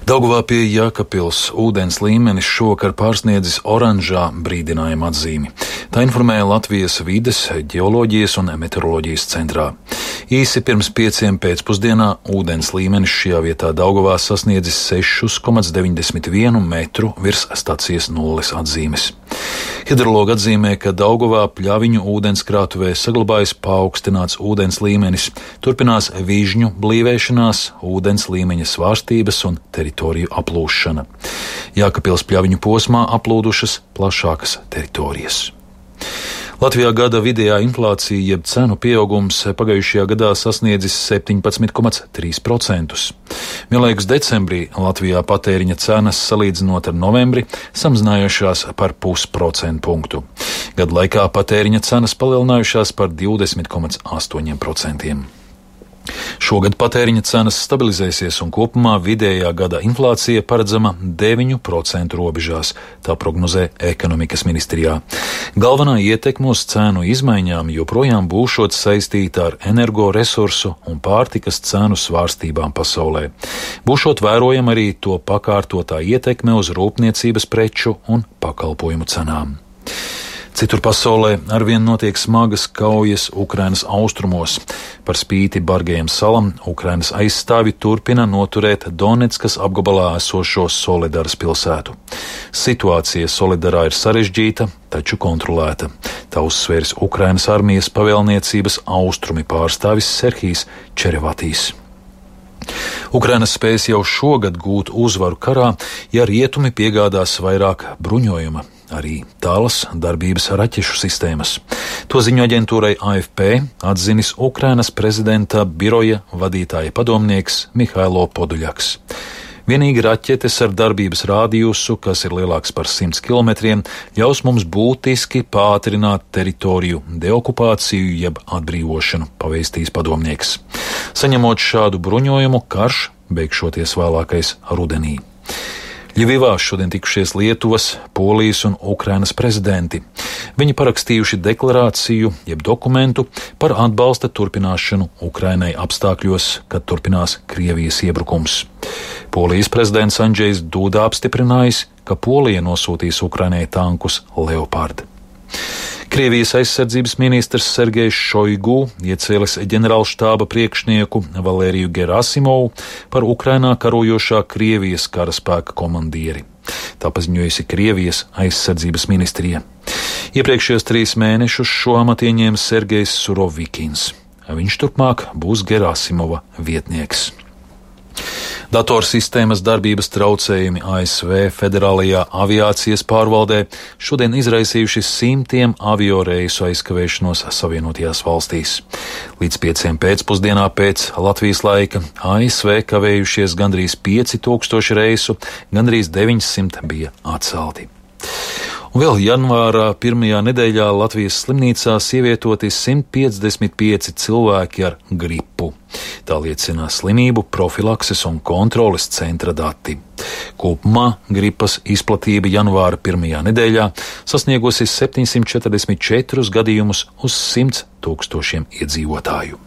Daugavā pie Jēkabpils ūdens līmenis šovakar pārsniedzis oranžā brīdinājuma atzīmi. Tā informēja Latvijas vides, ģeoloģijas un meteoroloģijas centrā. Īsi pirms 5 pēcpusdienā ūdens līmenis šajā vietā Daugavā sasniedzis 6,91 metru virs stacijas nulles atzīmes. Hidrologi atzīmē, ka Daugavā Pļaviņu ūdenskrātuvē saglabājas paaugstināts ūdens līmenis, turpinās vižņu blīvēšanās, ūdens līmeņa svārstības un teritoriju aplūšana. Jēkabpils Pļaviņu posmā aplūdušas plašākas teritorijas. Latvijā gada vidējā inflācija jeb cenu pieaugums pagājušajā gadā sasniedzis 17,3%. Vienlaikus decembrī Latvijā patēriņa cenas salīdzinot ar novembri samazinājušās par 0,5 punktu. Gada laikā patēriņa cenas palielinājušās par 20,8%. Šogad patēriņa cenas stabilizēsies un kopumā vidējā gada inflācija paredzama 9% robežās, tā prognozē ekonomikas ministrijā. Galvenā ietekme uz cēnu izmaiņām joprojām būšot saistīta ar energoresursu un pārtikas cēnu svārstībām pasaulē. Būšot vērojama arī to pakārtotā ietekme uz rūpniecības preču un pakalpojumu cenām. Citur pasaulē arvien notiek smagas kaujas Ukrainas austrumos. Par spīti bargajiem salam Ukrainas aizstāvi turpina noturēt Donetskas apgabalā esošo Soledaras pilsētu. Situācija Soledarā ir sarežģīta, taču kontrolēta. Tā uzsvērs Ukrainas armijas pavēlniecības austrumi pārstāvis Serhijs Čerevatīs. Ukraina spēs jau šogad gūt uzvaru karā, ja rietumi piegādās vairāk bruņojuma. Arī tālas darbības raķešu sistēmas. To ziņo aģentūrai AFP atzinis Ukrainas prezidenta biroja vadītāja padomnieks Mihailo Poduļaks. Vienīgi raķetes ar darbības rādījusu, kas ir lielāks par 100 km, ļaus mums būtiski pātrināt teritoriju deokupāciju jeb atbrīvošanu, pavēstīs padomnieks. Saņemot šādu bruņojumu, karš beigšoties vēlākais rudenī. Ļivivā šodien tikušies Lietuvas, Polijas un Ukrainas prezidenti. Viņi parakstījuši deklarāciju, jeb dokumentu par atbalsta turpināšanu Ukrainai apstākļos, kad turpinās Krievijas iebrukums. Polijas prezidents Andžejs Duda apstiprinājis, ka Polija nosūtīs Ukrainai tankus Leopard. Krievijas aizsardzības ministrs Sergejs Šoigu iecēlis ģenerālštāba priekšnieku Valēriju Gerasimovu par Ukrainā karojošā Krievijas karaspēka komandieri. Tā paziņojusi Krievijas aizsardzības ministrija. Iepriekšējos 3 mēnešus šo amatu ieņēma Sergejs Surovikins. Viņš turpmāk būs Gerasimova vietnieks. Datorsistēmas darbības traucējumi ASV Federālajā aviācijas pārvaldē šodien izraisījuši simtiem avioreisu aizkavēšanos Savienotajās valstīs. Līdz 5 pēcpusdienā pēc Latvijas laika ASV kavējušies gandrīz 5000 reisu, gandrīz 900 bija atcelti. Un vēl janvārā pirmajā nedēļā Latvijas slimnīcās ievietoti 155 cilvēki ar gripu. Tā liecina slimību profilakses un kontroles centra dati. Kopumā gripas izplatība janvāra pirmajā nedēļā sasniegusi 744 gadījumus uz 100 000 iedzīvotāju.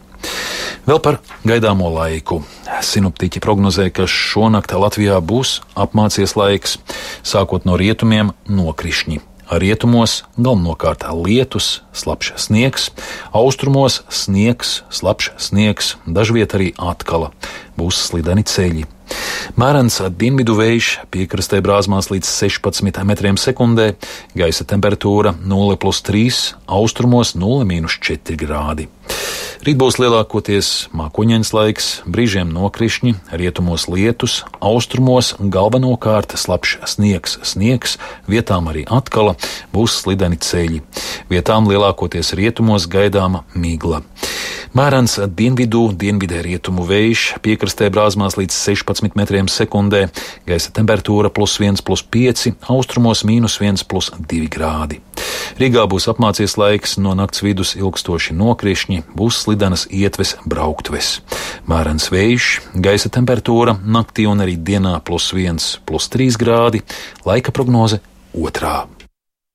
Vēl par gaidāmo laiku. Sinoptiķi prognozē, ka šonakt Latvijā būs apmācies laiks, sākot no rietumiem nokrišņi. Rietumos galvenokārt lietus, slapjš sniegs, austrumos sniegs, slapjš sniegs, dažviet arī atkala, būs slideni ceļi. Mērens dienvidu vējš piekrastē brāzmās līdz 16 metriem sekundē, gaisa temperatūra 0+3, austrumos 0-4 grādi. Rīt būs lielākoties mākoņains laiks, brīžiem nokrišņi, rietumos lietus, austrumos galvenokārt slapjš sniegs, vietām arī atkala, būs slideni ceļi. Vietām lielākoties rietumos gaidāma migla. Mērens dienvidē rietumu vējš piekrastē brāzmās līdz 16 metriem sekundē, gaisa temperatūra +1,5, austrumos -1,2 grādi. Rīgā būs apmācies laiks, no nakts vidus ilgstoši nokrišņi, būs slidenas ietves brauktves. Mērens vējš, gaisa temperatūra naktī un arī dienā +1,3 grādi, laika prognoze 2.